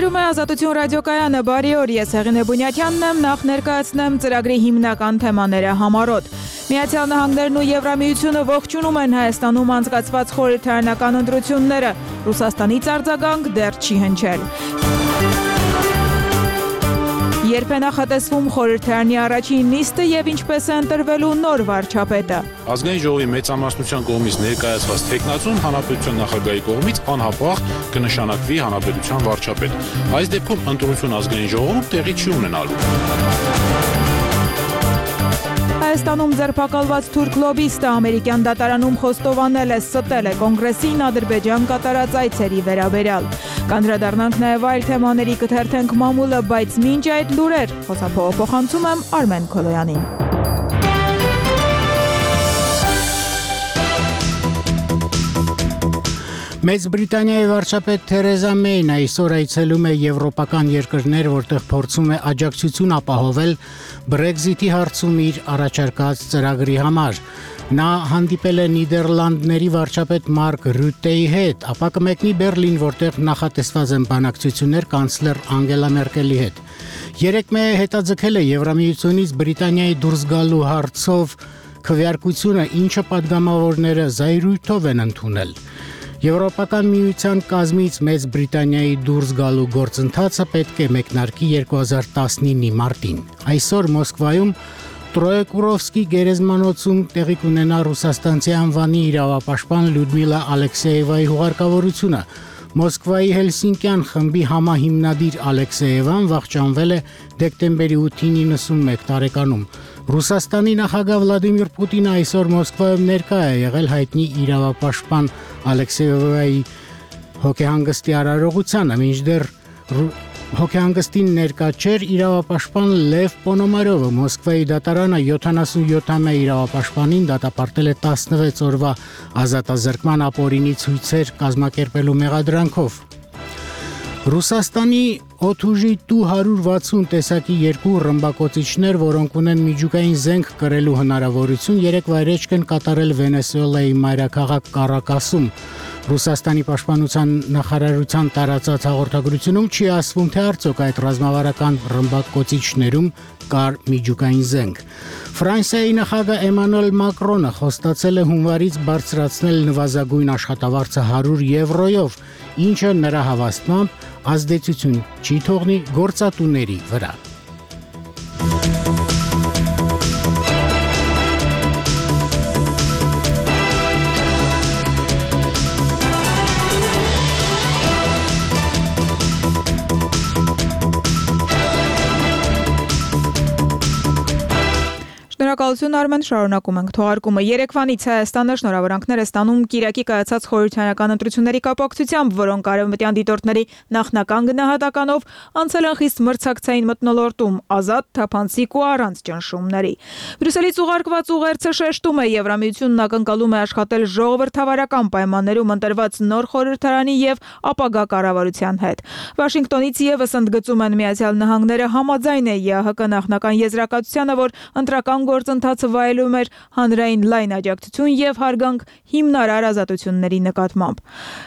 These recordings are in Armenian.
Եթերում է Ազատություն ռադիոկայանը, բարի օր, ես Հեղինե Բունյաթյանն եմ, նախ ներկայացնեմ ծրագրի հիմնական թեմաները համառոտ։ Միացյալ Նահանգներն ու Եվրամիությունը ողջունում են Հայաստանում անցկացված խորհրդարանական ընտրությունները, Ռուսաստանից արձագանք դեռ չի հնչել։ Երբ է նախատեսվում խորհրդարանի առաջին նիստը եւ ինչպես է ընտրվելու նոր վարչապետը։ Ազգային ժողովի մեծամասնության կողմից ներկայացված թեկնածուն հանրապետության նախագահի կողմից անհապաղ կնշանակվի հանրապետության վարչապետ։ Այս դեպքում ընտրություն ազգային ժողովում տեղի չի ունենալու։ Հայաստանում ձերբակալված թուրք լոբիստը ամերիկյան դատարանում խոստովանել է, ստել է կոնգրեսին Ադրբեջան կատարած այցերի վերաբերյալ։ Կանդրադառնանք նաև այլ թեմաների, կթերթենք մամուլը, բայց մինչ այդ լուրեր, խոսափողը փոխանցում եմ Արմեն Քոլոյանին։ Մեծ Բրիտանիայի վարչապետ Թերեզա Մեյն այսօր այցելում է եվրոպական երկրներ, որտեղ փորձում է աջակցություն ապահովել Brexit-ի հարցում իր առաջարկած ծրագրի համար։ Նա հանդիպել է Նիդերլանդների վարչապետ Մարկ Ռյուտեի հետ, ապա կմեկնի Բերլին, որտեղ նախատեսված են բանակցություններ կանցլեր Անգելա Մերկելի հետ։ Երեկ Մեյը հետաձգել է Եվրամիությունից Բրիտանիայի դուրս գալու հարցով քվեարկությունը, ինչը падգամավորները զայրույթով են ընդունել։ Եվրոպական միության կազմից Մեծ Բրիտանիայի դուրս գալու գործընթացը պետք է մեկնարկի 2019-ի մարտին։ Այսօր Մոսկվայում Տրոյեկուրովսկի գերեզմանոցում տեղի կունենա ռուսաստանցի անվանի իրավապաշտպան Լյուդմիլա Ալեքսեևայի հուղարկավորությունը։ Մոսկվայի Հելսինկյան խմբի համահիմնադիր Ալեքսեևան վախճանվել է դեկտեմբերի 8-ին 91 տարեկանում։ Ռուսաստանի նախագահ Վլադիմիր Պուտինը այսօր Մոսկվայում ներկա է եղել հայտնի իրավապաշտպան Ալեքսեևայի հոգեհանգստի արարողությանը, մինչդեռ հոգեհանգստին ներկա չէր իրավապաշտպան Լև Պոնոմարովը։ Մոսկվայի դատարանը 77-ամյա իրավապաշտպանին դատապարտել է 16 օրվա ազատազրկման ապօրինի ցույցեր կազմակերպելու մեղադրանքով։ Ռուսաստանի օդուժի Tu-160 տեսակի երկու ռմբակոծիչներ, որոնք ունեն միջուկային զենք կրելու հնարավորություն, երեք վայրէջք են կատարել Վենեսուելայի մայրաքաղաք Կարակասում։ Ռուսաստանի պաշտպանության նախարարության տարածած հաղորդագրությունում չի ասվում, թե արդյոք այդ ռազմավարական ռմբակոծիչներում կար միջուկային զենք։ Ֆրանսիայի նախագահ Էմանուել Մակրոնը խոստացել է հունվարից բարձրացնել նվազագույն աշխատավարձը 100 եվրոյով, ինչը նրա հավաստմամբ ազդեցություն չի թողնի գործատուների վրա։ Շնորհակալություն Արմեն, շարունակում ենք թողարկումը։ Երեկվանից Հայաստանը շնորհավորանքներ է ստանում Կիրակի կայացած խորհրդարանական ընտրությունների կապակցությամբ, որոնք արևմտյան դիտորդների նախնական գնահատականով անցել են խիստ մրցակցային մթնոլորտում, ազատ, թափանցիկ ու առանց ճնշումների։ Բրյուսելից ուղարկված ուղերձը շեշտում է Եվրամիությունն ակնկալում է աշխատել ժողովրդավարական պայմաններում ընտրված նոր խորհրդարանի եւ ապագա կառավարության հետ։ Վաշինգտոնից եւս ընդգծում են Միացյալ Նահանգները համաձայն է ԵԱՀԿ նախնական եզրակացությանը, որ ընտրական գործընթացը վայելում էր հանրային լայն աջակցություն եւ հարգանք հիմնարար ազատությունների նկատմամբ։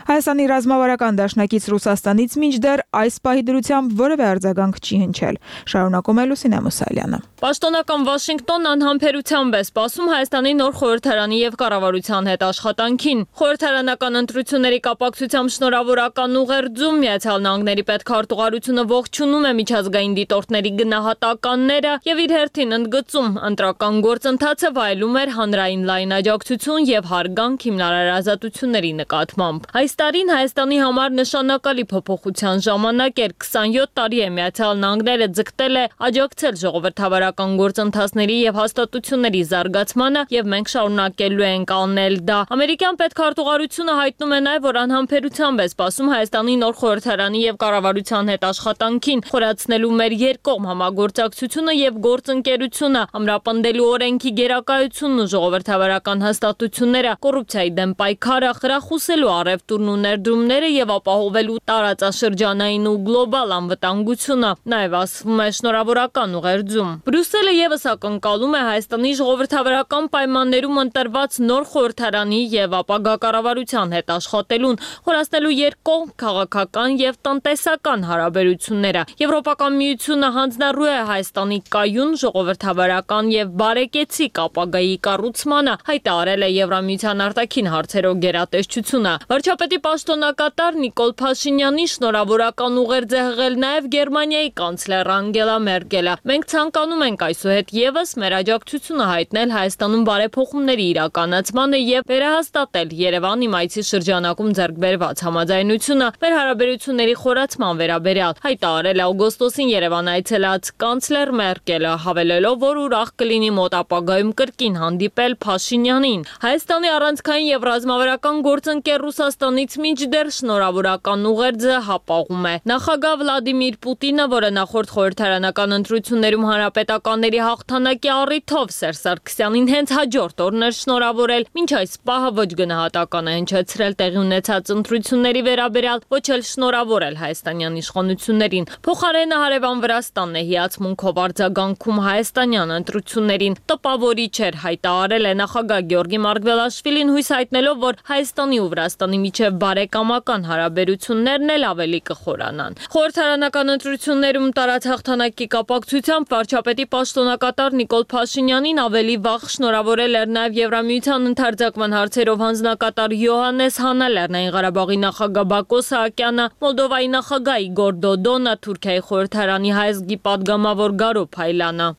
Հայաստանի ռազմավարական դաշնակից Ռուսաստանից մինչդեռ այս պահի դրությամբ որևէ արձագանք չի հնչել։ Շարունակում է Լուսինե Մուսալյանը։ Պաշտոնական Վաշինգտոնն անհամբերությամբ է սպասում Հայաստանի նոր խորհրդարանի եւ կառավարության հետ աշխատանքին։ Խորհրդարանական ընտրությունների կապակցությամբ շնորհավորական ուղերձում Միացյալ Նահանգների պետքարտուղարությունը ողջունում է միջազգային դիտորդների գնահատականները եւ իր հերթին ընդգծում ընտրական գործընթացը վայելում էր հանրային լայն աջակցություն եւ հարգանք հիմնարար ազատությունների նկատմամբ։ Այս տարին Հայաստանի համար նշանակալի փոփոխության ժամանակ էր, 27 տարի է Միացյալ Նահանգները ձգտել է աջակցել ժողովրդավարական գործընթացների եւ հաստատությունների զարգացմանը եւ մենք շարունակելու ենք անել դա։ Ամերիկյան պետքարտուղարությունը հայտնում է նաեւ, որ անհամբերությամբ է սպասում Հայաստանի նոր խորհրդարանի եւ կառավարության հետ աշխատանքին, խորացնելու մեր երկկողմ համագործակցությունը եւ գործընկերությունը, ամրապնդելու աջակցելու օրենքի գերակայությունն ու ժողովրդավարական հաստատությունները, կոռուպցիայի դեմ պայքարը, խրախուսելու առևտուրն ու ներդրումները եւ ապահովելու տարածաշրջանային ու գլոբալ անվտանգությունը, նաեւ ասվում է շնորհավորական ուղերձում։ Բրյուսելը եւս ակնկալում է Հայաստանի ժողովրդավարական պայմաններում ընտրված նոր խորհրդարանի եւ ապագա կառավարության հետ աշխատելուն, խորացնելու երկկողմ քաղաքական եւ տնտեսական հարաբերությունները։ Եվրոպական միությունը հանձնառու է Հայաստանի կայուն ժողովրդավարական եւ բարեկեցիկ ապագայի կառուցմանը, հայտարարել է Եվրամիության արտաքին հարցերով գերատեսչությունը։ Վարչապետի պաշտոնակատար Նիկոլ Փաշինյանի շնորհավորական ուղերձ է հղել նաեւ Գերմանիայի կանցլեր Անգելա Մերկելը։ Մենք ցանկանում ենք այսուհետ եւս մեր աջակցությունը հայտնել Հայաստանում բարեփոխումների իրականացմանը եւ վերահաստատել Երևան իմայցի շրջանակում ձեռք բերված համաձայնությունը մեր հարաբերությունների խորացման վերաբերյալ, հայտարարել է օգոստոսին Երևան այցելած կանցլեր Մերկելը, հավելելով, որ ուրախ կլինի մոտ ապագայում կրկին հանդիպել Փաշինյանին։ Հայաստանի առանցքային եւ ռազմավարական գործընկեր Ռուսաստանից մինչդեռ շնորհավորական ուղերձը հապաղում է։ Նախագահ Վլադիմիր Պուտինը, որը նախորդ խորհրդարանական ընտրություններում հանրապետականների հաղթանակի առիթով Սերժ Սարգսյանին հենց հաջորդ օրն էր շնորհավորել, մինչ այս պահը ոչ գնահատական է հնչեցրել տեղի ունեցած ընտրությունների վերաբերյալ, ոչ էլ շնորհավորել հայաստանյան իշխանություններին։ Փոխարենը հարևան Վրաստանն է հիացմունքով արձագանքում հայաստանյան ընտրություններին։ Տպավորիչ էր, հայտարարել է նախագահ Գյորգի Մարգվելաշվիլին, հույս հայտնելով, որ Հայաստանի ու Վրաստանի միջև բարեկամական հարաբերություններն էլ ավելի կխորանան։ Խորհրդարանական ընտրություններում տարած հաղթանակի կապակցությամբ վարչապետի պաշտոնակատար Նիկոլ Փաշինյանին ավելի վաղ շնորհավորել էր նաև Եվրամիության ընդարձակման հարցերով հանձնակատար Յոհաննես Հանը, Լեռնային Ղարաբաղի նախագահ Բակո Սահակյանը, Մոլդովայի նախագահ Իգոր Դոդոնը, Թուրքիայի խորհրդարանի հայազգի պատգամավոր Գարո Փայլանը։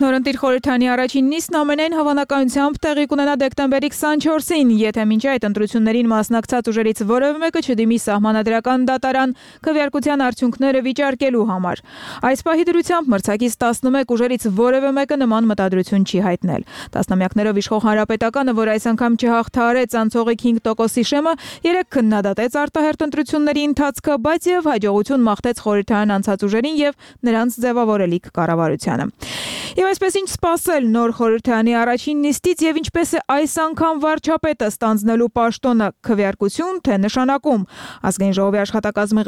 Նորընտիր խորհրդարանի առաջին նիստն ամենայն հավանականությամբ տեղի կունենա դեկտեմբերի 24-ին, եթե մինչ այդ ընտրություններին մասնակցած ուժերից որևէ մեկը չդիմի սահմանադրական դատարան քվեարկության արդյունքները վիճարկելու համար։ Այս պահի դրությամբ մրցակից 11 ուժերից որևէ մեկը նման մտադրություն չի հայտնել։ Տասնամյակներով իշխող Հանրապետականը, որ այս անգամ չհաղթահարեց անցողիկ 5% շեմը, 3 քննադատեց արտահերթ ընտրությունների ընթացքը, բայց եւ հաջողություն մաղթեց խորհրդարան անցած ուժերին եւ նրանց ձևավորելիք կառավարությանը։ Եվ այսպես ինչ սպասել նոր խորհրդարանի առաջին նիստից եւ ինչպես է այս անգամ վարչապետը ստանձնելու պաշտոնը քվեարկություն թե նշանակում։ Ազգային ժողովի աշխատակազմի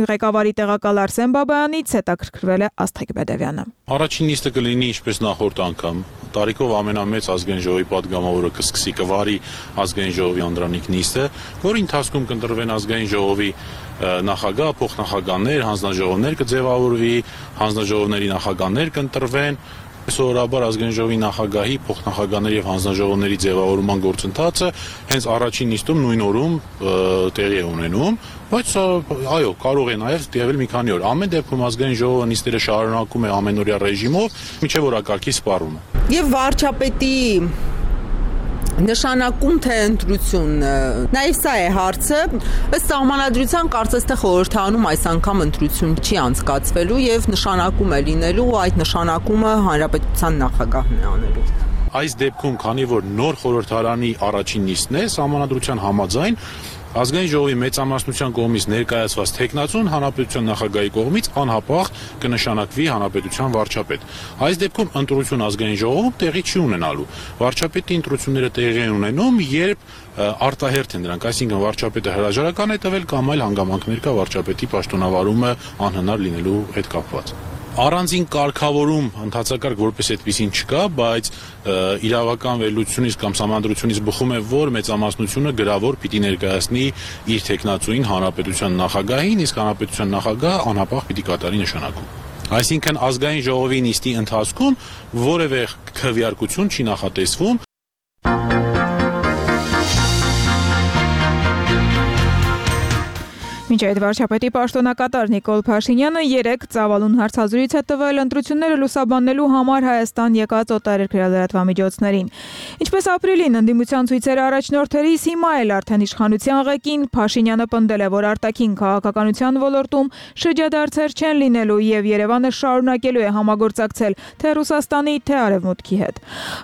ղեկավարի տեղակալ Արսեն Բաբայանից հետաքրքրվել է Աստղիկ Բեդևյանը։ Առաջին նիստը կլինի ինչպես նախորդ անգամ։ Տարիքով ամենամեծ ազգային ժողովի падգամավորը կսկսի կվարի ազգային ժողովի անդրանիկ նիստը, որի ընթացքում կընտրվեն ազգային ժողովի նախագահ, փոխնախագահներ, հանձնաժողովներ կձևավորվի, հանձնաժողովների նախագահներ կընտրվեն։ Սովորաբար ազգային ժողովի նախագահի, փոխնախագահների եւ հանձնաժողովների ձևավորման գործընթացը հենց առաջին նիստում նույն օրում տեղի է ունենում, բայց այո, կարող է նաեւ տևել մի քանի օր։ Ամեն դեպքում ազգային ժողովը նիստերը շարունակում է ամենօրյա ռեժիմով, մինչեւ օրակարգի սպառումը։ Եվ վարչապետի նշանակում թե ընտրություն, նաև սա է հարցը, ըստ սահմանադրության կարծես թե խորհրդարանում այս անգամ ընտրություն չի անցկացվելու եւ նշանակում է լինելու, այդ նշանակումը հանրապետության նախագահն է անելու։ Այս դեպքում, քանի որ նոր խորհրդարանի առաջին նիստն է, սահմանադրության համաձայն ազգային ժողովի մեծամասնության կողմից ներկայացված թեկնածուն հանրապետության նախագահի կողմից անհապաղ կնշանակվի հանրապետության վարչապետ։ Այս դեպքում ընտրություն ազգային ժողովում տեղի չի ունենալու։ Վարչապետի ընտրությունները տեղի են ունենում, երբ արտահերթ են դրանք, այսինքն վարչապետը հրաժարական է տվել կամ այլ հանգամանքներ կա վարչապետի պաշտոնավարումը անհնար լինելու հետ կապված։ Առանձին կարգավորում ընդհանրակարգ որպես այդպեսին չկա, բայց իրավական վերլուծությունից կամ սահմանադրությունից բխում է, որ մեծամասնությունը գրավոր պիտի ներկայացնի իր թեկնածուին հանրապետության նախագահին, իսկ հանրապետության նախագահը անհապաղ պիտի կատարի նշանակում։ Այսինքն ազգային ժողովի նիստի ընթացքում որևէ քվեարկություն չի նախատեսվում։ Մինչ այդ վարչապետի պաշտոնակատար Նիկոլ Փաշինյանը 3 ծավալուն հարցազրույց է տվել ընտրությունները լուսաբանելու համար Հայաստան եկած օտարերկրյա լրատվամիջոցներին։ Ինչպես ապրիլին ընդդիմության ցույցերը առաջնորդերից հիմա էլ արդեն իշխանության ղեկին Փաշինյանը պնդել է, որ արտաքին քաղաքականության ոլորտում շրջադարձեր չեն լինելու եւ Երևանը շարունակելու է համագործակցել թե Ռուսաստանի, թե Արևմուտքի հետ։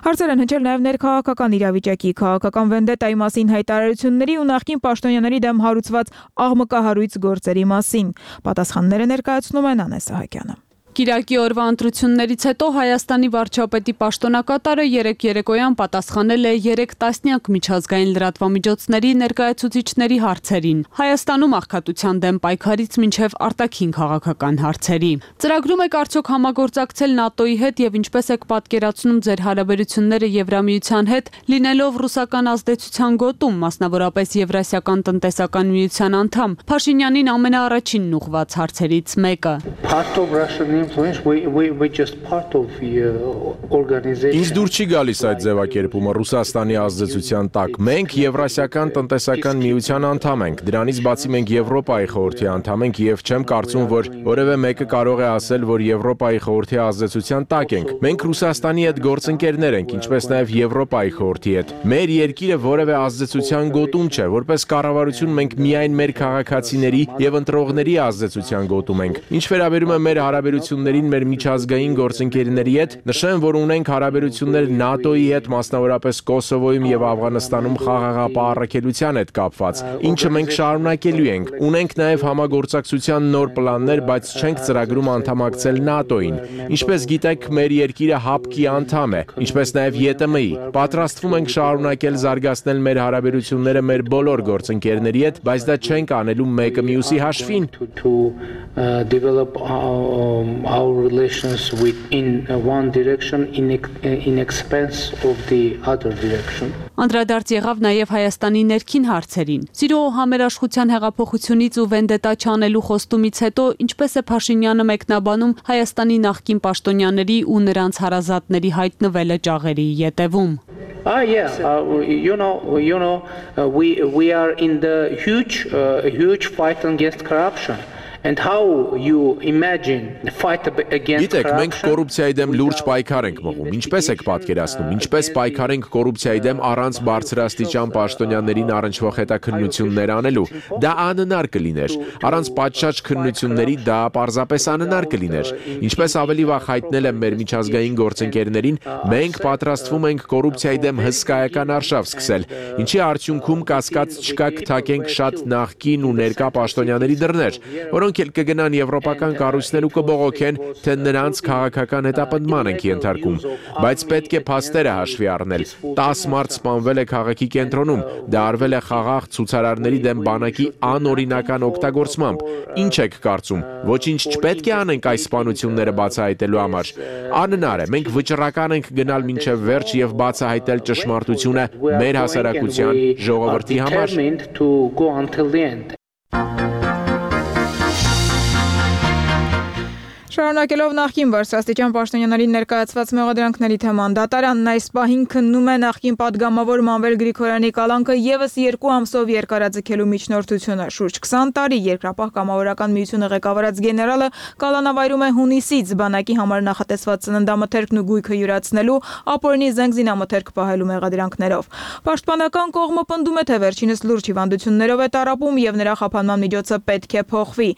Հարցեր են հնչել նաեւ ներքաղաքական իրավիճակի, քաղաքական վենդետայի մասին հայտարարությունների ու նախկին պաշտոնյաների դեմ հարուցված աղմկահարույց զրույց գործերի մասին։ Պատասխանները ներկայացնում է Նանե Սահակյանը։ Կիրակի օրվա ընտրություններից հետո Հայաստանի վարչապետի պաշտոնակատարը երեկոյան պատասխանել է 3 տասնյակ միջազգային լրատվամիջոցների ներկայացուցիչների հարցերին։ Հայաստանում աղքատության դեմ պայքարից մինչև արտաքին քաղաքական հարցերի։ Ծրագրում եք արդյոք համագործակցել ՆԱՏՕ-ի հետ եւ ինչպես եք պատկերացնում ձեր հարաբերությունները Եվրամիության հետ, լինելով ռուսական ազդեցության գոտում, մասնավորապես Եվրասիական տնտեսական միության անդամ։ Փաշինյանին ամենաառաջինն ուղղված հարցերից մեկը։ Ինձ դուր չի գալիս այդ ձևակերպումը Ռուսաստանի ազդեցության տակ։ Մենք Եվրասիական տնտեսական միության անդամ ենք, դրանից բացի մենք Եվրոպայի խորհրդի անդամ ենք եւ չեմ կարծում, որ որևէ մեկը կարող է ասել, որ Եվրոպայի խորհրդի ազդեցության տակ ենք։ Մենք Ռուսաստանի հետ գործընկերներ ենք, ինչպես նաեւ Եվրոպայի խորհրդի հետ։ Մեր երկիրը որևէ ազդեցության գոտում չէ, որպես կառավարություն մենք միայն մեր քաղաքացիների եւ ընտրողների ազդեցության գոտում ենք։ Ինչ վերաբերում է մեր հարաբերություններին մեր միջազգային գործընկերների հետ, նշեմ, որ ունենք հարաբերություններ ՆԱՏՕ-ի հետ, մասնավորապես Կոսովոյում եւ Աֆղանստանում խաղաղապահ առաքելության հետ կապված, ինչը մենք շարունակելու ենք։ Ունենք նաեւ համագործակցության նոր պլաններ, բայց չենք ծրագրում անդամակցել ՆԱՏՕ-ին։ Ինչպես գիտեք, մեր երկիրը ՀԱՊԿ-ի անդամ է, ինչպես նաեւ ԵՏՄ-ի։ Պատրաստվում ենք շարունակել զարգացնել մեր հարաբերությունները մեր բոլոր գործընկերների հետ, բայց դա չենք անելու մեկը մյուսի հաշվին։ Our relations in one direction in expense of the other direction. Անդրադարձ եղավ նաև Հայաստանի ներքին հարցերին։ Սիրո համերաշխության հեղափոխությունից ու վենդետա չանելու խոստումից հետո ինչպես է Փաշինյանը մեկնաբանում Հայաստանի նախկին պաշտոնյաների ու նրանց հարազատների հայտնվելը ճաղերի ետևում։ We are in the huge fight against corruption. And how you imagine the fight against corruption? Գիտեք, մենք կոռուպցիայի դեմ լուրջ պայքար ենք մղում։ Ինչպես եք պատկերացնում, ինչպես պայքարենք կոռուպցիայի դեմ առանց բարձրաստիճան պաշտոնյաներին առնչվող հետաքննություններ անելու։ Դա անհնար կլիներ։ Առանց պատշաճ քննությունների դա պարզապես անհնար կլիներ։ Ինչպես ավելի վաղ հայտնել եմ մեր միջազգային գործընկերներին, մենք պատրաստվում ենք կոռուպցիայի դեմ հսկայական արշավ սկսել, ինչի արդյունքում կասկած չկա կթակենք շատ նախկին ու ներկա պաշտոնյաների դռներ, որոնք կգնան եվրոպական կառույցներ ու կբողոքեն, թե նրանց քաղաքական հետապնդման ենք ենթարկում, բայց պետք է փաստերը հաշվի առնել։ 10 մարդ սպանվել է քաղաքի կենտրոնում, դա արվել է խաղաղ ցուցարարների դեմ բանակի անօրինական օգտագործմամբ։ Ինչ եք կարծում, ոչինչ չպետք է անենք այս սպանությունները բացահայտելու համար։ Անհնար է, մենք վճռական ենք գնալ մինչև վերջ եւ բացահայտել ճշմարտությունը մեր հասարակության ժողովրդի համար։ Շարունակելով նախկին բարձրաստիճան պաշտոնյաների ներկայացված մեղադրանքների թեման, դատարանն այս պահին քննում է նախկին падգամավոր Մանվել Գրիգորյանի կալանքը եւս 2 ամսով երկարաձգելու միջնորդությունը։ Շուրջ 20 տարի երկրապահ կամավորական միությունը ղեկավարած գեներալը կալանավայրում է հունիսից բանակի համար նախատեսված ծննդամթերքն ու գույքը յուրացնելու, ապօրինի զենք զինամթերք պահելու մեղադրանքներով։ Պաշտպանական կողմը պնդում է, թե վերջինս լուրջ հիվանդություններով է տառապում եւ նրա խափանման միջոցը պետք է փոխվի։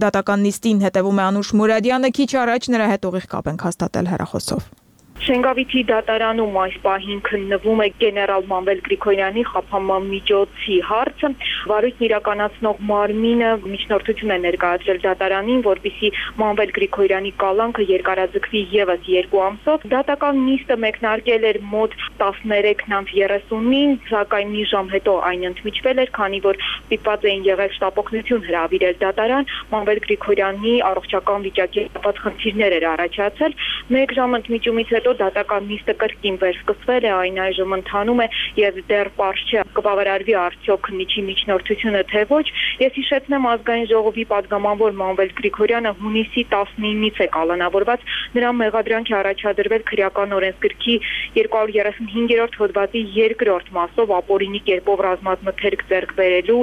Դատական նիստին հետևում է Անուշ Մուրադյանը, քիչ առաջ նրա հետ ուղիղ կապ ենք հաստատել հեռախոսով։ Շենգավիթի դատարանում այս պահին քննվում է գեներալ Մանվել Գրիգորյանի խափանման միջոցի հարցը։ Վարույթն իրականացնող մարմինը միջնորդություն է ներկայացրել դատարանին, որպեսզի Մանվել Գրիգորյանի կալանքը երկարաձգվի եւս 2 ամսով։ Դատական նիստը մեկնարկել էր մոտ 13:30-ին, սակայն մի ժամ հետո այն ընդմիջվել էր, քանի որ ստիպված էին եղել շտապօգնություն հրավիրել դատարան։ Մանվել Գրիգորյանի առողջական վիճակի կապված խնդիրներ էր առաջացել։ 1 ժամ ընդմիջումից հետո դատական նիստը կրկին վերսկսվել է, այն այժմ ընթանում է եւ դեռ պարզ չէ կբավարարվի արդյոք քննիչի միջնորդությունը թե ոչ։ Ես հիշեցնեմ Ազգային ժողովի падգամավոր Մանվել Գրիգորյանը հունիսի 19-ից է կալանավորված, նրա մեղադրանքի առաջադրվել քրեական օրենսգրքի 235-րդ հոդվածի 2-րդ մասով ապօրինի կերպով ռազմամթերք ձեռք բերելու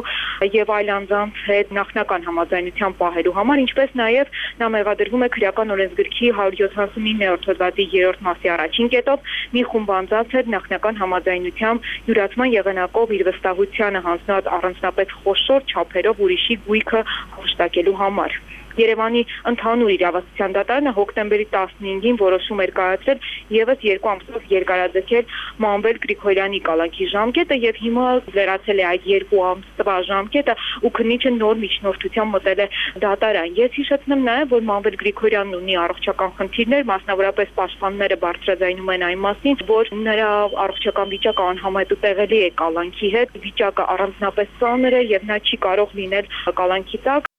եւ այլ անձանց հետ նախնական համաձայնության պահելու համար, ինչպես նաեւ նա մեղադրվում է քրեական օրենսգրքի 179-րդ հոդվածի 3-րդ մասի առաջին կետով մի խումբ անձանց հետ նախնական համաձայնությամբ յուրացման եղանակով իր վստահությանը հանձնած առանձնապես խոշոր չափերով ուրիշի գույքը հաշտակելու համար։ Երևանի ընդհանուր իրավասության դատարանը հոկտեմբերի 15-ին որոշում էր կայացրել եւս 2 ամսով երկարաձգել Մանվել Գրիգորյանի կալանքի ժամկետը եւ հիմա լրացել է այդ 2 ամսվա ժամկետը ու քննիչը նոր միջնորդությամբ մտել է դատարան։ Ես հիշեցնեմ նաեւ, որ Մանվել Գրիգորյանն ունի առողջական խնդիրներ, մասնավորապես պաշտպանները բարձրաձայնում են այն մասին, որ նրա առողջական վիճակը անհամեմատ տեղելի է կալանքի հետ, վիճակը առանձնապես ծանր է եւ նա չի կարող լինել կալանքի տակ։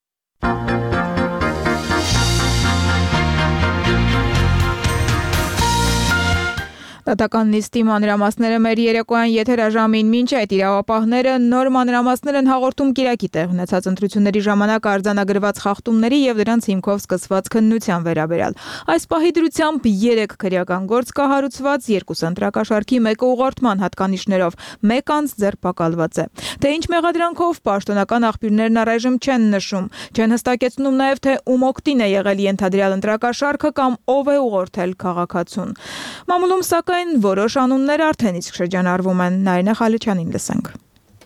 Դատական նիստի մանրամասները մեր երեկոյան եթերաժամին մինչ այդ իրավապահները նոր մանրամասներ են հաղորդում Կիրակի տեղ ունեցած ընտրությունների ժամանակ արձանագրված խախտումների եւ դրանց հիմքով սկսված քննության վերաբերյալ։ Այս պահի դրությամբ 3 քրեական գործ կա հարուցված, 2 ընտրակաշարքի, 1 ուղղորդման հատկանիշներով, 1 անձ ձերբակալված է։ Թե ինչ մեղադրանքով պաշտոնական աղբյուրներն առայժմ չեն նշում, չեն հստակեցնում նաեւ թե ում օգտին է եղել ենթադրյալ ընտրակաշարքը կամ ով է ուղղորդել քաղաքացուն։ Մամուլում սակայն որոշ անուններ արդեն իսկ շրջանառվում են։ Նարինե Խալիչյանին լսենք։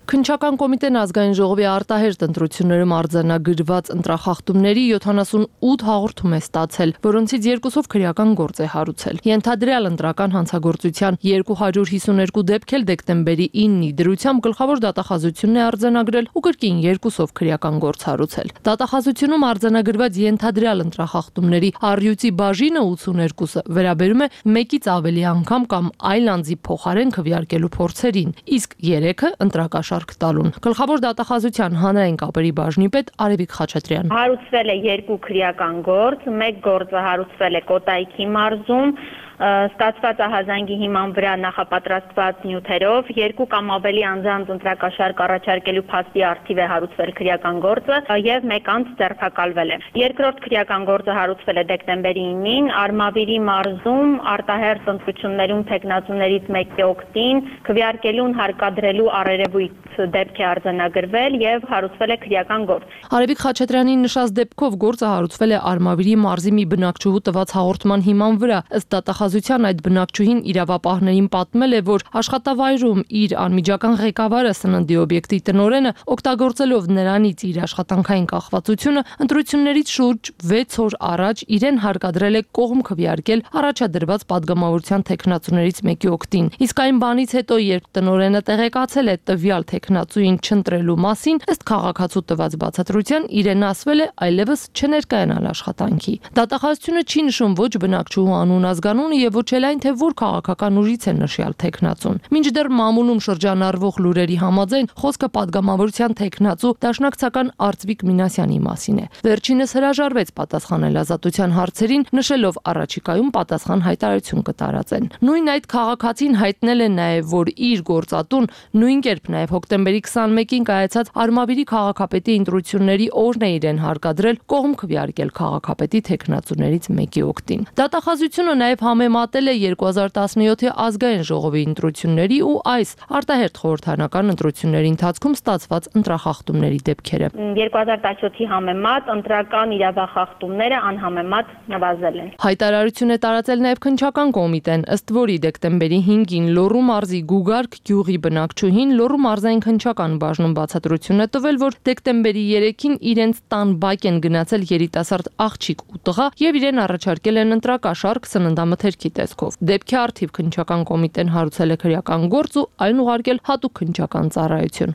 Քննչական կոմիտեն ազգային ժողովի արտահերթ ընտրություններում արձանագրված ընտրախախտումների 78 հաղորդում է ստացել, որոնցից 2-ով քրեական գործ է հարուցել։ Ենթադրյալ ընտրական հանցագործության 252 դեպք էլ դեկտեմբերի 9-ի դրությամբ գլխավոր դատախազությունն է արձանագրել ու կրկին 2-ով քրեական գործ հարուցել։ Դատախազությունում արձանագրված ենթադրյալ ընտրախախտումների առյուծի բաժինը 82-ը վերաբերում է 1-ից ավելի անգամ կամ այլ անձի փոխարեն քվեարկելու փորձերին, իսկ 3-ը ընտրակաշարք տալուն։ Գլխավոր դատախազության հանրային կապերի բաժնի պետ Արևիկ Խաչատրյան։ Հարուցվել է 2 քրեական գործ, 1 գործը հարուցվել է Կոտայքի մարզում, ստացված ահազանգի հիման վրա նախապատրաստված նյութերով 2 կամ ավելի անձանց ընտրակաշարք առաջարկելու փաստի առթիվ է հարուցվել քրեական գործը եւ 1 անձ ձերբակալվել է։ Երկրորդ քրեական գործը հարուցվել է դեկտեմբերի 9-ին Արմավիրի մարզում արտահերթ ընտրություններում տեխնացուներից մեկի օգտին քվեարկելուն հարկադրելու առերևույթ դեպք է արձանագրվել եւ հարուցվել է քրեական գործ։ Արևիկ Խաչատրյանի նշած դեպքով գործը հարուցվել է Արմավիրի մարզի մի բնակչուհու տված հաղորդման հիման վրա։ Ըստ դատախազության այդ բնակչուհին իրավապահներին պատմել է, որ աշխատավայրում իր անմիջական ղեկավարը սննդի օբյեկտի տնօրենը օգտագործելով նրանից իր աշխատանքային կախվածությունը ընտրություններից շուրջ 6 օր առաջ իրեն հարկադրել է կողմ քվեարկել առաջադրված падգամավորության տեխնացուներից մեկի օգտին։ Իսկ այն բանից հետո, երբ տնօրենը տեղեկացել է տվյալ տեխնացուին չընտրելու մասին, ըստ քաղաքացու տված բացատրության իրեն ասվել է այլևս չներկայանալ աշխատանքի։ Դատախազությունը չի նշում ոչ բնակչուհու անուն ազգանունը եւ ոչ էլ այն, թե որ քաղաքական ուժից է նշյալ տեխնացուն։ Մինչդեռ մամուլում շրջանառվող լուրերի համաձայն խոսքը падգամավորության տեխնացու դաշնակցական Արծվիկ Մինասյանի մասին է։ Վերջինս հրաժարվեց պատասխանել ազատության հարցերին, նշելով առաջիկայում պատասխան հայտարարություն կտարածեն։ Նույն այդ քաղաքացին հայտնել է նաեւ, որ իր գործատուն նույն կերպ նաեւ հոկտեմբերի 21-ին կայացած Արմավիրի քաղաքապետի ընտրությունների օրն է իրեն հարկադրել կողմ քվեարկել քաղաքապետի տեխնացուներից մեկի օգտին։ Դատախազությունը նաեւ համեմատել է 2017-ի ազգային ժողովի ընտրությունների ու այս արտահերթ խորհրդարանական ընտրությունների ընթացքում ստացված ընտրախախտումների դեպքերը։ 2017-ի համեմատ ընտրական իրավախախտումները անհամեմատ նվազել են։ Հայտարարություն է տարածել նաեւ քննչական կոմիտեն, ըստ որի դեկտեմբերի 5-ին Լոռու մարզի Գուգարք գյուղի բնակչուհին Լոռու մարզային քննչական բաժնում բացատրություն է տվել, որ դեկտեմբերի 3-ին իրենց տան բակ են գնացել երիտասարդ աղջիկ ու տղա եւ իրեն առաջարկել են ընտրակաշարք սննդամթերքի տեսքով։ Դեպքի առթիվ քննչական կոմիտեն հարուցել է քրեական գործ ու այն ուղարկել հատուկ քննչական ծառայություն։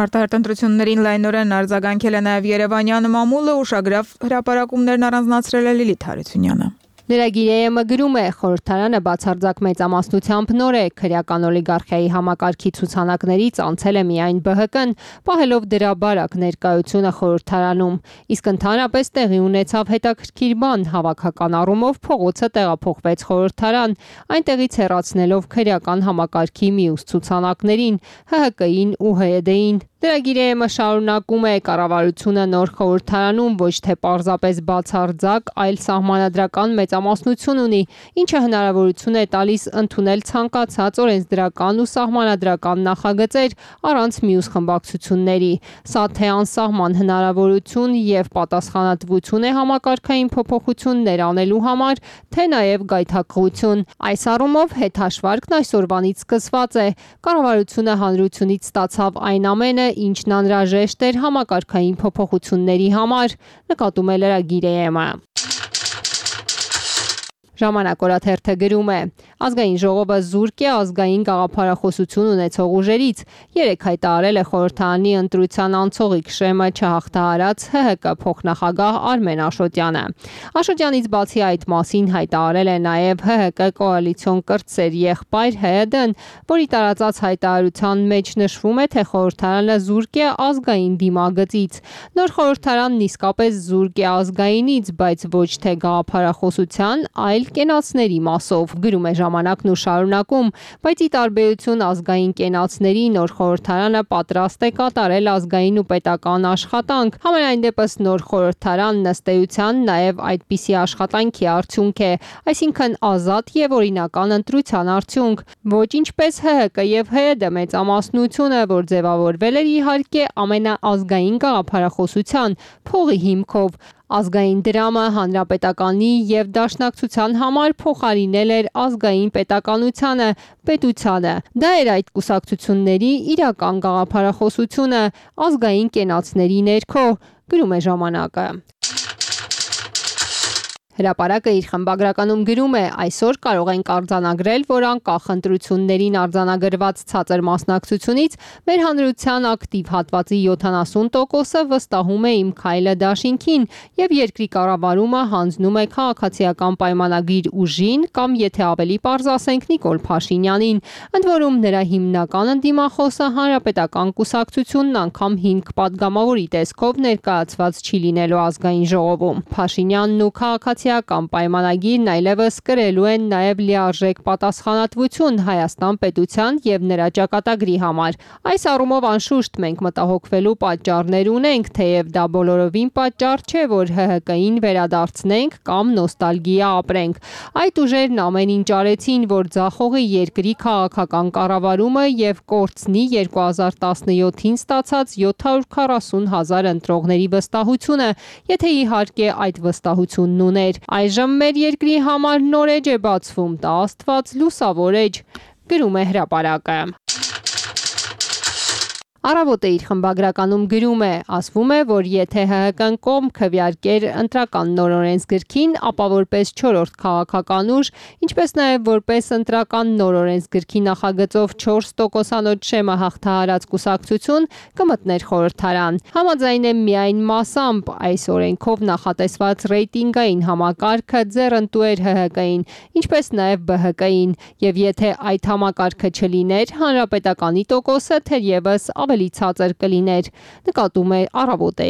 Արտահերթ ընտրություններին լայնորեն արձագանքել է նաև Երևանյան մամուլը, ուշագրավ հրապարակումներն առանձնացրել է Լիլիթ Հարությունյանը։ Լրագիրը գրում է, խորհրդարանը բացարձակ մեծամասնությամբ նոր է, քրեական օլիգարխիայի համակարգի ցուցանակներից անցել է միայն ԲՀԿ-ն, պահելով դրա բարակ ներկայությունը խորհրդարանում, իսկ ընդհանրապես տեղի ունեցավ հետաքրքիր բան, հավաքական առումով փողոցը տեղափոխվեց խորհրդարան, այնտեղից հեռացնելով քրեական համակարգի մյուս ցուցանակներին, ՀՀԿ-ին ու ՀՅԴ-ին։ Լրագիրը շարունակում է, կառավարությունը նոր խորհրդարանում ոչ թե պարզապես բացարձակ, այլ սահմանադրական մեծամասնություն ունի, ինչը հնարավորություն է տալիս ընդունել ցանկացած օրենսդրական ու սահմանադրական նախագծեր առանց մյուս խմբակցությունների։ Սա թե անսահման հնարավորություն եւ պատասխանատվություն է համակարգային փոփոխություններ անելու համար, թե նաեւ գայթակղություն։ Այս առումով հետհաշվարկն այսօրվանից սկսված է։ Կառավարությունը հանրությունից ստացավ այն ամենը, ինչն անհրաժեշտ էր համակարգային փոփոխությունների համար, նկատում է լրագիրը։ Ժամանակ օրաթերթը գրում է. Ազգային ժողովը զուրկ է ազգային գաղափարախոսություն ունեցող ուժերից, 3 հայտարարել է խորհրդարանի ընտրության անցողիկ շեմը չհաղթահարած ՀՀԿ փոխնախագահ Արմեն Աշոտյանը։ Աշոտյանից բացի այդ մասին հայտարարել է նաև ՀՀԿ կոալիցիոն կրտսեր եղբայր ՀՅԴ-ն, որի տարածած հայտարարության մեջ նշվում է, թե խորհրդարանը զուրկ է ազգային դիմագծից։ Նոր խորհրդարանն իսկապես զուրկ է ազգայինից, բայց ոչ թե գաղափարախոսության, այլ կենացների մասով, գրում է ժամանակն ու շարունակում, բայց ի տարբերություն ազգային կենացների նոր խորհրդարանը պատրաստ է կատարել ազգային ու պետական աշխատանք։ Համենայն դեպս նոր խորհրդարանն ըստ էության նաև այդպիսի աշխատանքի արդյունք է, այսինքն ազատ եւ օրինական ընտրության արդյունք, ոչ ինչպես ՀՀԿ եւ ՀՅԴ մեծամասնությունը, որ ձևավորվել էր իհարկե ամենաազգային գաղափարախոսության փողի հիմքով։ Ազգային դրամը հանրապետականի եւ դաշնակցության համար փոխարինել էր ազգային պետականությանը, պետությանը։ Դա էր այդ կուսակցությունների իրական գաղափարախոսությունը ազգային կենացների ներքո, գրում է ժամանակը։ Հրապարակը իր խմբագրականում գրում է. այսօր կարող ենք արձանագրել, որ անկախ ընտրություններին արձանագրված ցածր մասնակցությունից մեր հանրության ակտիվ հատվածի 70%-ը վստահում է իմ քայլը դաշինքին եւ երկրի կառավարումը հանձնում է քաղաքացիական պայմանագիր ուժին կամ եթե ավելի պարզ ասենք Նիկոլ Փաշինյանին, ընդ որում նրա հիմնական ընդդիմախոսը հանրապետական կուսակցությունն անգամ 5 պատգամավորի տեսքով ներկայացված չի լինելու ազգային ժողովում։ Փաշինյանն ու քաղաքացիական պայմանագիրն այլևս կրելու են նաև լիարժեք պատասխանատվություն Հայաստան պետության եւ նրա ճակատագրի համար։ Այս առումով անշուշտ մենք մտահոգվելու պատճառներ ունենք, թեև դա բոլորովին պատճառ չէ, որ ՀՀԿ-ին վերադարձնենք կամ նոստալգիա ապրենք։ Այդ ուժերն ամեն ինչ արեցին, որ ձախողի երկրի քաղաքական կառավարումը եւ կորցնի 2017-ին ստացած 740,000 ընտրողների վստահությունը, եթե իհարկե այդ վստահությունն ուներ։ Այժմ մեր երկրի համար նոր էջ է բացվում, դա Աստված լուսավոր էջ, գրում է հրապարակը։ Առավոտը իր խմբագրականում գրում է. ասվում է, որ եթե ՀՀԿ-ն կողմ քվեարկեր ընտրական նորօրենսգրքին, ապա որպես 4-րդ քաղաքական ուժ, ինչպես նաև որպես ընտրական նորօրենսգրքի նախագծով 4%-անոց շեմը հաղթահարած կուսակցություն կմտներ խորհրդարան։ Համաձայն է միայն մասամբ այս օրենքով նախատեսված ռեյտինգային համակարգը ձեռնտու էր ՀՀԿ-ին, ինչպես նաև ԲՀԿ-ին, եւ եթե այդ համակարգը չլիներ, հանրապետականի տոկոսը թերևս ավելի ցածր կլիներ, նկատում է Առավոտ-ը։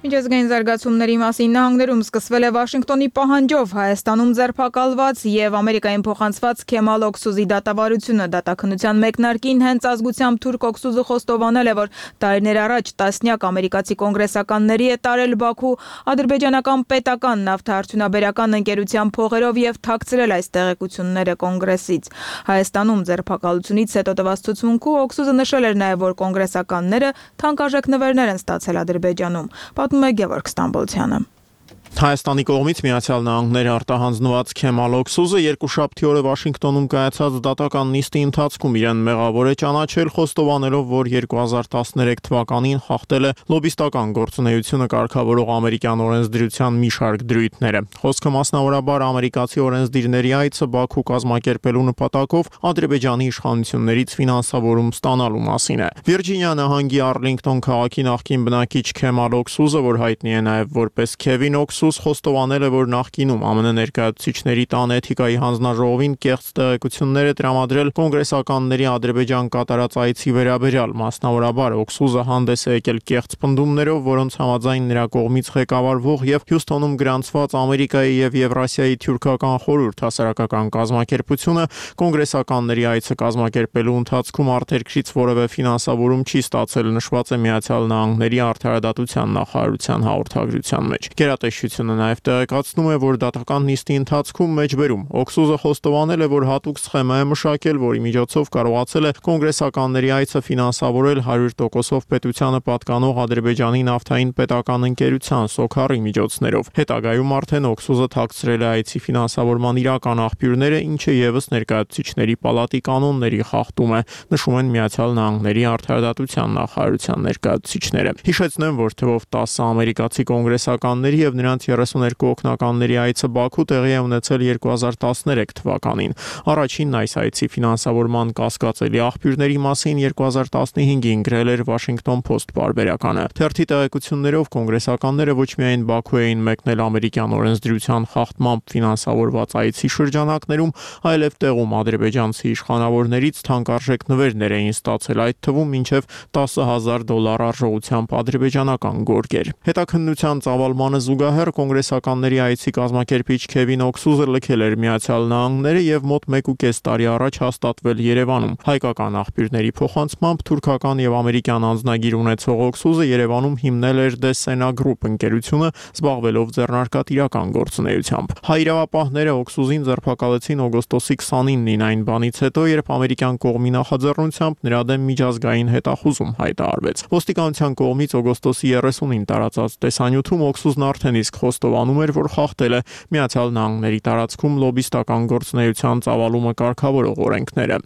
Միջազգային զարգացումների մասին նահանգներում սկսվել է Վաշինգտոնի պահանջով Հայաստանում ձերբակալված եւ Ամերիկային փոխանցված Քեմալ Օքսուզի դատավարությունը դատաքննության մեկնարկին հենց ազգությամբ թուրք Օքսուզը խոստովանել է, որ տարիներ առաջ տասնյակ ամերիկացի կոնգրեսականների է տարել Բաքու ադրբեջանական պետական նավթարդյունաբերական ընկերության փողերով եւ թաքցրել այս տեղեկությունները կոնգրեսից։ Հայաստանում ձերբակալությունից հետո տված ցուցմունքում Օքսուզը նշել էր նաեւ, որ կոնգրեսականները թանկարժեք նվերներ են ստացել Ադրբեջանում։ Գևորգ Ստամբոլցյանը։ Հայաստանի կողմից Միացյալ Նահանգներ արտահանձնված Քեմալ Օքսուզը երկուշաբթի օրը Վաշինգտոնում կայացած դատական նիստի ընթացքում իրեն մեղավոր է ճանաչել, խոստովանելով, որ 2013 թվականին խախտել է լոբիստական գործունեությունը կարգավորող ամերիկյան օրենսդրության մի շարք դրույթները։ Խոսքը մասնավորաբար ամերիկացի օրենսդիրների այցը Բաքու կազմակերպելու նպատակով Ադրբեջանի իշխանություններից ֆինանսավորում ստանալու մասին է։ Վիրջինիա նահանգի Արլինգտոն քաղաքի նախկին բնակիչ Քեմալ Օքսուզը, որ հայտնի է նաև որպես Քևին Օքսուզ, խոստովանել է, որ նախկինում ԱՄՆ ներկայացուցիչների տան էթիկայի հանձնաժողովին կեղծ տեղեկություններ է տրամադրել կոնգրեսականների Ադրբեջան կատարած այցի վերաբերյալ, մասնավորաբար Օքսուզը հանդես է եկել կեղծ պնդումներով, որոնց համաձայն նրա կողմից ղեկավարվող եւ Հյուսթոնում գրանցված Ամերիկայի եւ Եվրասիայի թյուրքական խորհուրդ հասարակական կազմակերպությունը կոնգրեսականների այցը կազմակերպելու ընթացքում արտերկրից որևէ ֆինանսավորում չի ստացել, նշված է Միացյալ Նահանգների արդարադատության նախարարության հաղորդագրության մեջ։ Գերատեսչությունը նաև տեղեկացնում է, որ դատական նիստի ընթացքում մեջբերում Օքսուզը խոստովանել է, որ հատուկ սխեմա է մշակել, որի միջոցով կարողացել է կոնգրեսականների այցը ֆինանսավորել 100%-ով պետությանը պատկանող Ադրբեջանի նավթային պետական ընկերության Սոքարի միջոցներով։ Հետագայում արդեն Օքսուզը թաքցրել է այցի ֆինանսավորման իրական աղբյուրները, ինչը եւս ներկայացուցիչների պալատի կանոնների խախտում է, նշում են Միացյալ Նահանգների արդարադատության նախարարության ներկայացուցիչները։ Հիշեցնեմ, որ թվով 10 ամերիկացի կոնգրեսականների եւ նրանց 32 օգնականների այցը Բաքու տեղի է ունեցել 2013 թվականին։ Առաջինն այս այցի ֆինանսավորման կասկածելի աղբյուրների մասին 2015-ին գրել էր Washington Post պարբերականը։ Թերթի տեղեկություններով կոնգրեսականները ոչ միայն Բաքու էին մեկնել ամերիկյան օրենսդրության խախտմամբ ֆինանսավորված այցի շրջանակներում, այլև տեղում ադրբեջանցի իշխանավորներից թանկարժեք նվերներ էին ստացել, այդ թվում մինչև $10,000 արժողությամբ ադրբեջանական գորգեր։ Հետաքննության ծավալմանը զուգահեռ կոնգրեսականների այցի կազմակերպիչ Քևին Օքսուզը լքել էր Միացյալ Նահանգները եւ մոտ 1.5 տարի առաջ հաստատվել Երևանում։ Հայկական աղբյուրների փոխանցմամբ թուրքական եւ ամերիկյան անձնագիր ունեցող Օքսուզը Երևանում հիմնել էր Դեսենա Group ընկերությունը, զբաղվելով ձեռնարկատիրական գործունեությամբ։ Հայ իրավապահները Օքսուզին ձերբակալեցին օգոստոսի 29-ին այն բանից հետո, երբ ամերիկյան կողմի նախաձեռնությամբ նրա դեմ միջազգային հետախուզում հայտարարվեց։ Ոստիկանության կողմից օգոստոսի 30-ին տարածած տեսանյութում Օքսուզն արդեն իսկ խոստովանում էր, որ խախտել է Միացյալ Նահանգների տարածքում լոբիստական գործունեության ծավալումը կարգավորող օրենքները։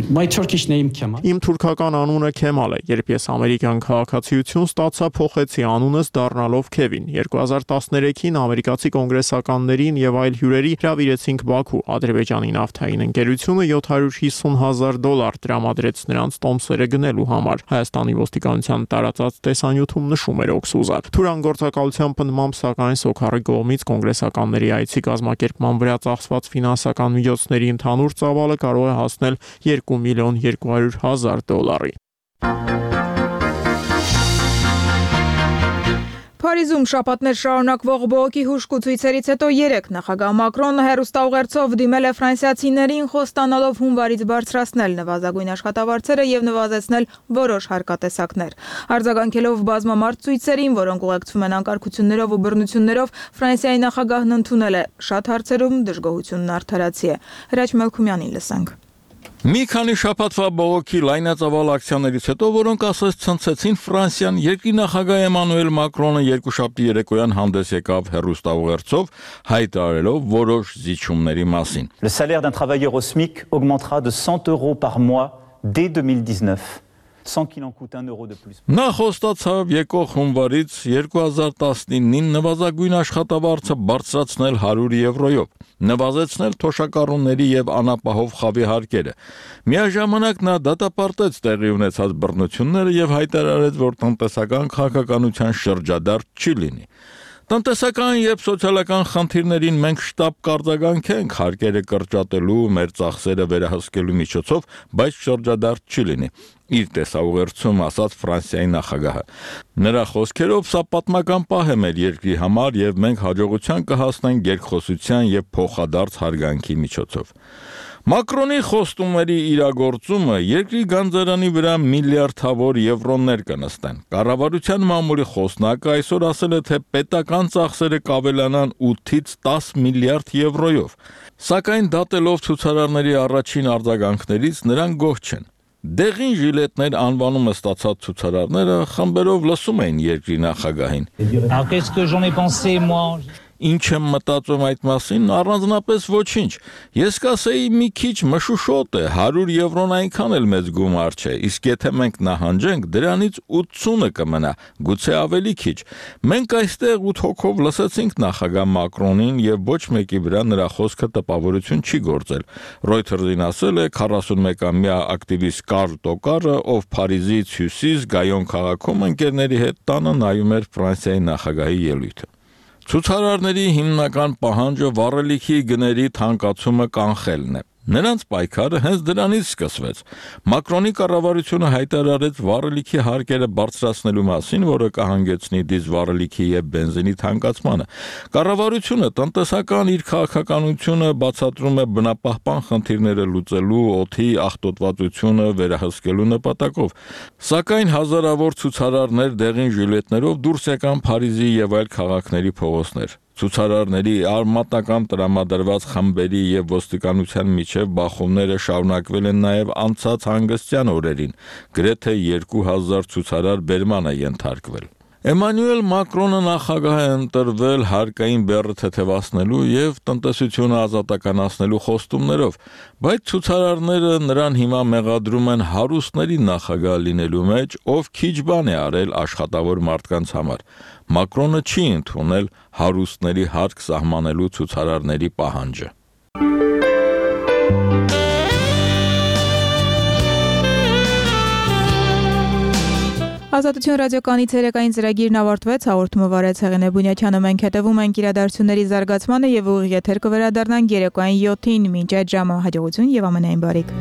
Իմ թուրքական անունը Քեմալ է, երբ ես ամերիկյան քաղաքացիություն ստացա, փոխեցի անունս դառնալով Քևին։ 2013-ին ամերիկացի կոնգրեսականներին եւ այլ հյուրերի հրավիրեցինք Բաքու։ Ադրբեջանի նավթային ընկերությունը $750,000 տրամադրեց նրանց տոմսերը գնելու համար։ Հայաստանի ոստիկանության տարածած տեսանյութում նշում էր Օքսուզը։ Թուրան գործակալության պնդմամբ, սակայն Սոքարի կողմից կոնգրեսականների այցի կազմակերպման վրա ծախսված ֆինանսական միջոցների ընդհանուր ծավալը կարող է հասնել $2,200,000-ի։ Փարիզում շաբաթներ շարունակվող բողոքի հուժկուցույցերից հետո 3 նախագահ Մակրոնը հեռուստաուղերձով դիմել է ֆրանսիացիներին, խոստանալով հունվարից բարձրացնել նվազագույն աշխատավարձերը եւ նվազեցնել որոշ հարկատեսակներ։ Արձագանքելով բազմամարդ ցույցերին, որոնք ուղեկցվում են անկարգություններով ու բռնություններով, Ֆրանսիայի նախագահն ընդունել է շատ հարցերում դժգոհությունն արդարացի է։ Հրաչ Մելքումյանին լսենք։ Մի քանի շաբաթվա բողոքի լայնածավալ ակցիաներից հետո, որոնք ասես ցնցեցին Ֆրանսիան, երկրի նախագահ Էմանուել Մակրոնը երկուշաբթի երեկոյան հանդես եկավ հեռուստաուղերձով, հայտարարելով որոշ զիջումների մասին։ Le salaire d'un travailleur au SMIC augmentera de 100 € par mois dès 2019. Sans qu'il en coûte €1 de plus. Նա խոստացավ եկող հունվարից 2019-ին նվազագույն աշխատավարձը բարձրացնել €100-ով, նվազեցնել թոշակառուների եւ անապահով խավի հարկերը։ Միաժամանակ նա դատապարտեց տեղի ունեցած բռնությունները եւ հայտարարեց, որ տնտեսական քաղաքականության շրջադարձ չի լինի։ Տնտեսական եւ սոցիալական խնդիրներին մենք շտապ կարձագանքենք հարկերը կրճատելու, մեր ծախսերը վերահսկելու միջոցով, բայց շրջադարձ չի լինի։ Իր տեսաուղերձում ասաց Ֆրանսիայի նախագահը։ Նրա խոսքերով սա պատմական պահ է մեր երկրի համար եւ մենք հաջողության կհասնենք երկխոսության եւ փոխադարձ հարգանքի միջոցով։ Մակրոնի խոստումների իրագործումը երկրի գանձարանի վրա միլիարդավոր եվրոներ կնստեն։ Կառավարության մամուլի խոսնակը այսօր ասել է, թե պետական ծախսերը կավելանան 8-ից 10 միլիարդ եվրոյով։ Սակայն դատելով ցուցարարների առաջին արձագանքներից նրանք գոհ չեն։ Դեղին ժիլետներ անվանումը ստացած ցուցարարները խմբերով լսում էին երկրի նախագահին։ Ինչ եմ մտածում այդ մասին, առանձնապես ոչինչ։ Ես կասեի մի քիչ մշուշոտ է, 100 եվրոն այնքան էլ մեծ գումար չէ, իսկ եթե մենք նահանջենք, դրանից 80-ը կմնա, գուցե ավելի քիչ։ Մենք այստեղ 8 հոգով լսեցինք նախագահ Մակրոնին եւ ոչ մեկի վրա նրա խոսքը տպավորություն չի գործել։ Reuters-ին ասել է 41-ամյա ակտիվիստ Կարլ Տոկարը, ով Փարիզից հյուսիս Գայոն քաղաքում ընկերների հետ տանը նայում էր Ֆրանսիայի նախագահի ելույթը։ Ցուցարարների հիմնական պահանջը վառելիքի գների թանկացումը կանխելն է։ Նրանց պայքարը հենց դրանից սկսվեց։ Մակրոնի կառավարությունը հայտարարեց վառելիքի հարկերը բարձրացնելու մասին, որը կհանգեցնի դիզվառելիքի եւ բենզինի թանկացմանը։ Կառավարությունը տնտեսական իր քաղաքականությունը բացատրում է բնապահպան խնդիրները լուծելու, օդի աղտոտվածությունը վերահսկելու նպատակով։ Սակայն հազարավոր ցուցարարներ դեղին ժիլետներով դուրս եկան Փարիզի եւ այլ քաղաքների փողոցներ։ Ցուցարարների արմատական տրամադրված խմբերի եւ ոստիկանության միջև բախումները շարունակվել են նաեւ անցած հանգստյան օրերին, գրեթե 2000 ցուցարար բերման է ենթարկվել։ Էմանուել Մակրոնը նախագահ է ընտրվել հարկային բեռը թեթևացնելու եւ տնտեսությունը ազատականացնելու խոստումներով, բայց ցուցարարները նրան հիմա մեղադրում են հարուստների նախագահ լինելու մեջ, ով քիչ բան է արել աշխատավոր մարդկանց համար։ Մակրոնը չի ընդունել հարուստների հարկ սահմանելու ցուցարարների պահանջը։ Ազատություն ռադիոկայանի ցերեկային ծրագիրն ավարտվեց, հաղորդումը վարեց Հեղինե Բունյաթյանը, մենք հետևում ենք իրադարձությունների զարգացմանը եւ ուղիղ եթեր կվերադառնանք երեկոյան 7-ին, մինչ այդ ժամը հաջողություն եւ ամենայն բարիք։